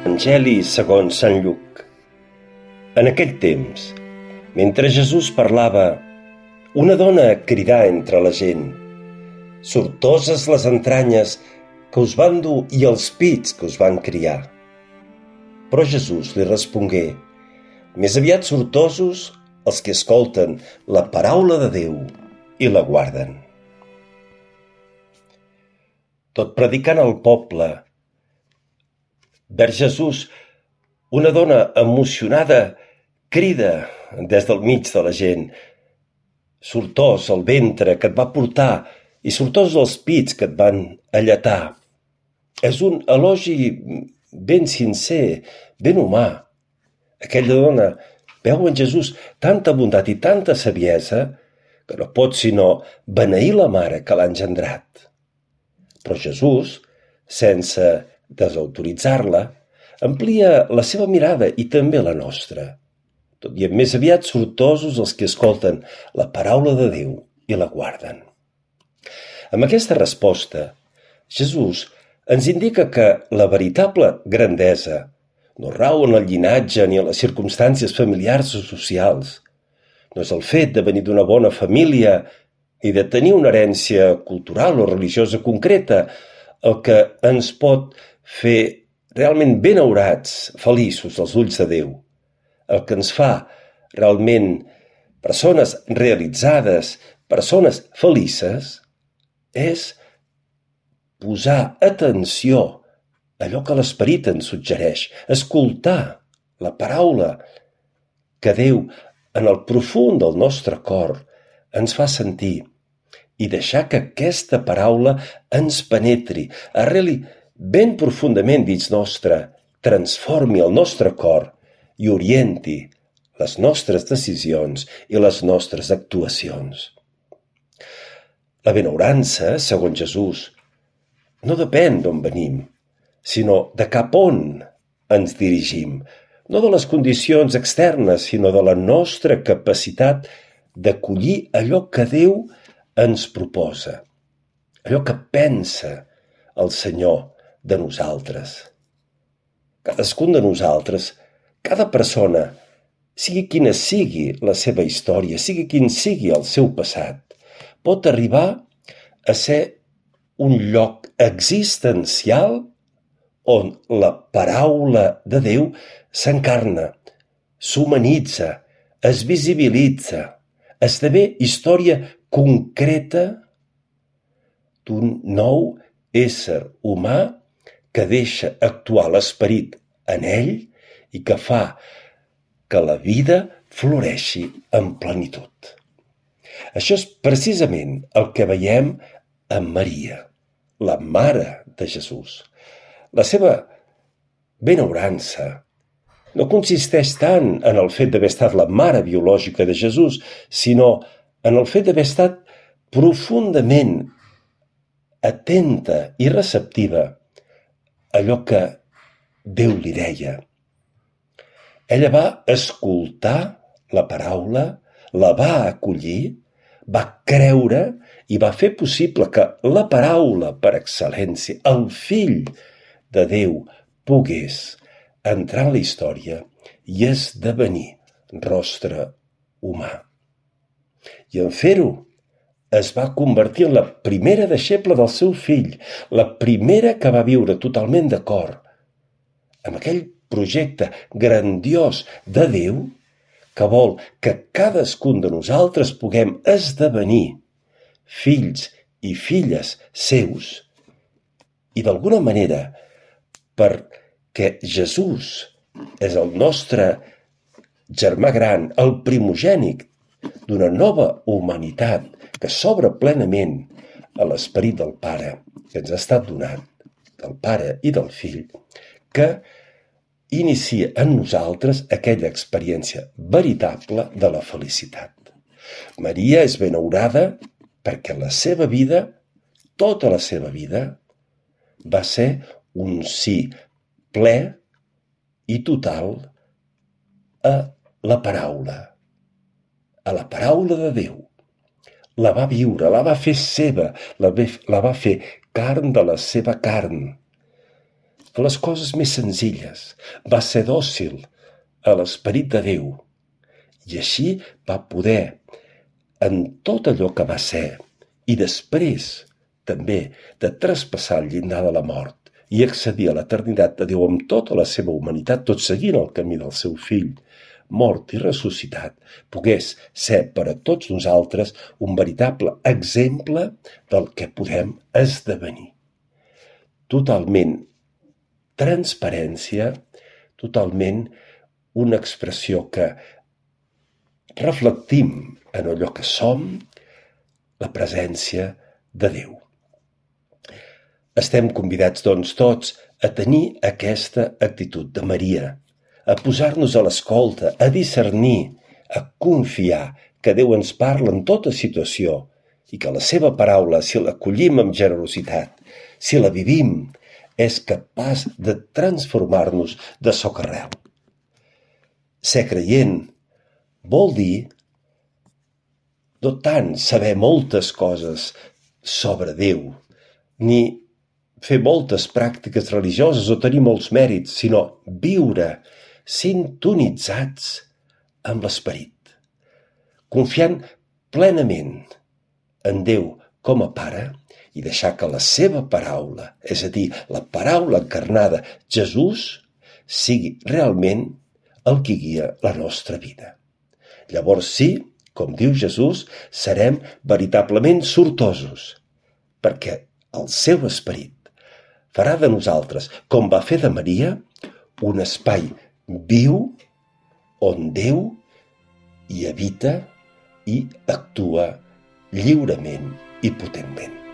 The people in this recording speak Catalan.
Evangeli segons Sant Lluc. En aquell temps, mentre Jesús parlava, una dona cridà entre la gent: «Sortoses les entranyes que us van dur i els pits que us van criar». Però Jesús li respongué: «Més aviat sortosos els que escolten la paraula de Déu i la guarden». Tot predicant al poble vers Jesús, una dona emocionada crida des del mig de la gent: «Sortós el ventre que et va portar i sortós els pits que et van alletar». És un elogi ben sincer, ben humà. Aquella dona veu en Jesús tanta bondat i tanta saviesa que no pot sinó beneir la mare que l'ha engendrat. Però Jesús, sense desautoritzar-la, amplia la seva mirada i també la nostra. Tot dient més aviat sortosos els que escolten la paraula de Déu i la guarden. Amb aquesta resposta, Jesús ens indica que la veritable grandesa no rau en el llinatge ni en les circumstàncies familiars o socials. No és el fet de venir d'una bona família ni de tenir una herència cultural o religiosa concreta el que ens pot fer realment benaurats, feliços als ulls de Déu. El que ens fa realment persones realitzades, persones felices, és posar atenció a allò que l'Esperit ens suggereix, escoltar la paraula que Déu en el profund del nostre cor ens fa sentir i deixar que aquesta paraula ens penetri, arreli ben profundament dins nostre, transformi el nostre cor i orienti les nostres decisions i les nostres actuacions. La benaurança, segons Jesús, no depèn d'on venim, sinó de cap on ens dirigim, no de les condicions externes, sinó de la nostra capacitat d'acollir allò que Déu ens proposa, allò que pensa el Senyor de nosaltres. Cadascun de nosaltres, cada persona, sigui quina sigui la seva història, sigui quin sigui el seu passat, pot arribar a ser un lloc existencial on la paraula de Déu s'encarna, s'humanitza, es visibilitza, esdevé història concreta d'un nou ésser humà que deixa actuar l'esperit en ell i que fa que la vida floreixi en plenitud. Això és precisament el que veiem en Maria, la mare de Jesús. La seva benaurança no consisteix tant en el fet d'haver estat la mare biològica de Jesús, sinó en el fet d'haver estat profundament atenta i receptiva a allò que Déu li deia. Ella va escoltar la paraula, la va acollir, va creure i va fer possible que la paraula per excel·lència, el Fill de Déu, pogués entrar en la història i esdevenir rostre humà. I en fer-ho es va convertir en la primera deixeble del seu fill, la primera que va viure totalment d'acord amb aquell projecte grandiós de Déu que vol que cadascun de nosaltres puguem esdevenir fills i filles seus i d'alguna manera, perquè Jesús és el nostre germà gran, el primogènit d'una nova humanitat que s'obre plenament a l'esperit del Pare que ens ha estat donat, del Pare i del Fill, que inicia en nosaltres aquella experiència veritable de la felicitat. Maria és benaurada perquè la seva vida, tota la seva vida, va ser un sí ple i total a la paraula de Déu. La va viure, la va fer seva, la va fer carn de la seva carn. les coses més senzilles, va ser dòcil a l'esperit de Déu i així va poder, en tot allò que va ser i després també de traspassar el llindar de la mort i accedir a l'eternitat de Déu amb tota la seva humanitat, tot seguint el camí del seu fill, mort i ressuscitat, pogués ser per a tots nosaltres un veritable exemple del que podem esdevenir. Totalment transparència, totalment una expressió que reflectim en allò que som, la presència de Déu. Estem convidats, doncs, tots a tenir aquesta actitud de Maria, a posar-nos a l'escolta, a discernir, a confiar que Déu ens parla en tota situació i que la seva paraula, si l'acollim amb generositat, si la vivim, és capaç de transformar-nos de socarrel. Ser creient vol dir no tant saber moltes coses sobre Déu, ni fer moltes pràctiques religioses o tenir molts mèrits, sinó viure sintonitzats amb l'esperit, confiant plenament en Déu com a Pare i deixar que la seva paraula, és a dir, la paraula encarnada, Jesús, sigui realment el que guia la nostra vida. Llavors sí, com diu Jesús, serem veritablement sortosos, perquè el seu esperit farà de nosaltres, com va fer de Maria, un espai viu on Déu hi habita i actua lliurement i potentment.